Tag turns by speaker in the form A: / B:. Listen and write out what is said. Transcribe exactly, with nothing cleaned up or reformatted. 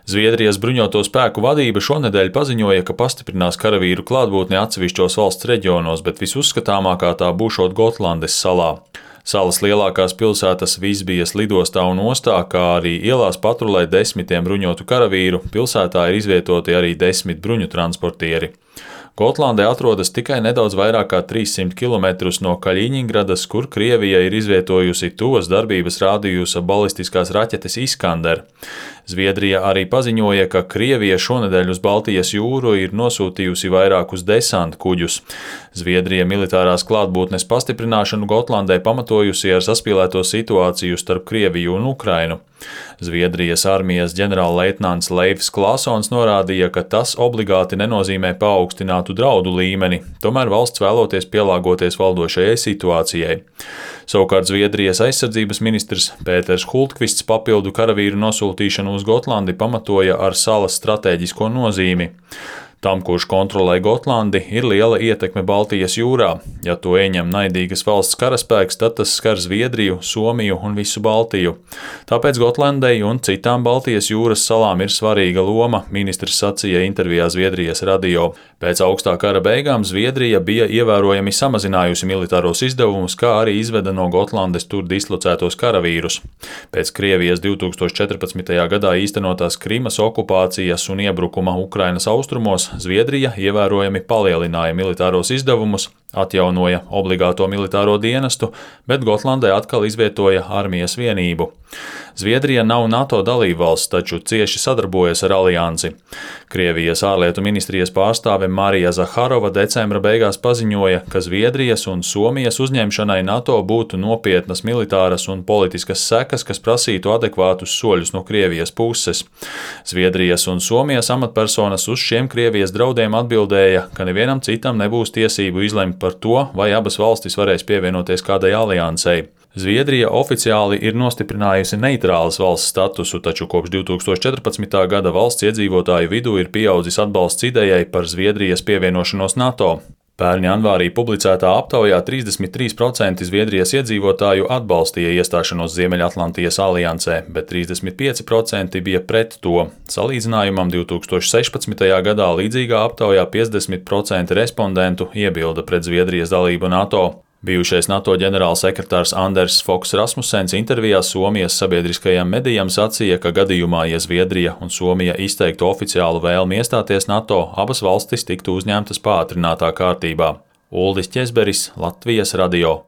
A: Zviedrijas bruņoto spēku vadība šonedēļ paziņoja, ka pastiprinās karavīru klātbūtni atsevišķos valsts reģionos, bet visuzskatāmākā tā būšot Gotlandes salā. Salas lielākās pilsētas Visbijas lidostā un ostā, kā arī ielās patrulē desmitiem bruņotu karavīru, pilsētā ir izvietoti arī desmit bruņu transportieri. Gotlandē atrodas tikai nedaudz vairāk kā trīssimt kilometrus no Kaļiņingradas, kur Krievija ir izvietojusi tuvas darbības rādījusa balistiskās raķetes Iskander. Zviedrija arī paziņoja, ka Krievija šonedēļ uz Baltijas jūru ir nosūtījusi vairākus desantu kuģus. Zviedrija militārās klātbūtnes pastiprināšanu Gotlandē pamatojusi ar saspīlēto situāciju starp Krieviju un Ukrainu. Zviedrijas armijas ģenerālleitnants Leifs Klasons norādīja, ka tas obligāti nenozīmē paaugstinātu draudu līmeni, tomēr valsts vēloties pielāgoties valdošajai situācijai. Savukārt Zviedrijas aizsardzības ministrs Pēters Hultkvists papildu karavīru nosūtīšanu uz Gotlandi pamatoja ar salas stratēģisko nozīmi. Tam, kurš kontrolē Gotlandi, ir liela ietekme Baltijas jūrā. Ja to ieņem naidīgas valsts karaspēks, tad tas skar Zviedriju, Somiju un visu Baltiju. Tāpēc Gotlandei un citām Baltijas jūras salām ir svarīga loma, ministrs sacīja intervijā Zviedrijas radio. Pēc augstā kara beigām Zviedrija bija ievērojami samazinājusi militāros izdevumus, kā arī izveda no Gotlandes tur dislocētos karavīrus. Pēc Krievijas divi tūkstoši četrpadsmitajā gadā īstenotās Krimas okupācijas un iebrukuma Ukrainas austrumos Zviedrija ievērojami palielināja militāros izdevumus, atjaunoja obligāto militāro dienestu, bet Gotlandē atkal izvietoja armijas vienību. Zviedrija nav NATO dalībvalsts, taču cieši sadarbojas ar aliansi. Krievijas ārlietu ministrijas pārstāve Marija Zaharova decembra beigās paziņoja, ka Zviedrijas un Somijas uzņemšanai NATO būtu nopietnas militāras un politiskas sekas, kas prasītu adekvātus soļus no Krievijas puses. Zviedrijas un Somijas amatpersonas uz šiem Krievijas draudiem atbildēja, ka nevienam citam nebūs tiesību izlemt par to, vai abas valstis varēs pievienoties kādai aliansei. Zviedrija oficiāli ir nostiprinājusi neitrālas valsts statusu, taču kopš divi tūkstoši četrpadsmitā gada valsts iedzīvotāju vidū ir pieaudzis atbalsts idejai par Zviedrijas pievienošanos NATO. Pērn janvārī publicētā aptaujā trīsdesmit trīs procenti Zviedrijas iedzīvotāju atbalstīja iestāšanos Ziemeļatlantijas aliansē, bet trīsdesmit pieci procenti bija pret to. Salīdzinājumam divi tūkstoši sešpadsmitajā gadā līdzīgā aptaujā piecdesmit procenti respondentu iebilda pret Zviedrijas dalību NATO. Bijušais NATO ģenerālsekretārs Anders Foks Rasmussens intervijā Somijas sabiedriskajam medijam sacīja, ka gadījumā, ja Zviedrija un Somija izteiktu oficiālu vēlmi iestāties NATO, abas valstis tiktu uzņemtas pātrinātā kārtībā. Uldis Ķezberis, Latvijas radio.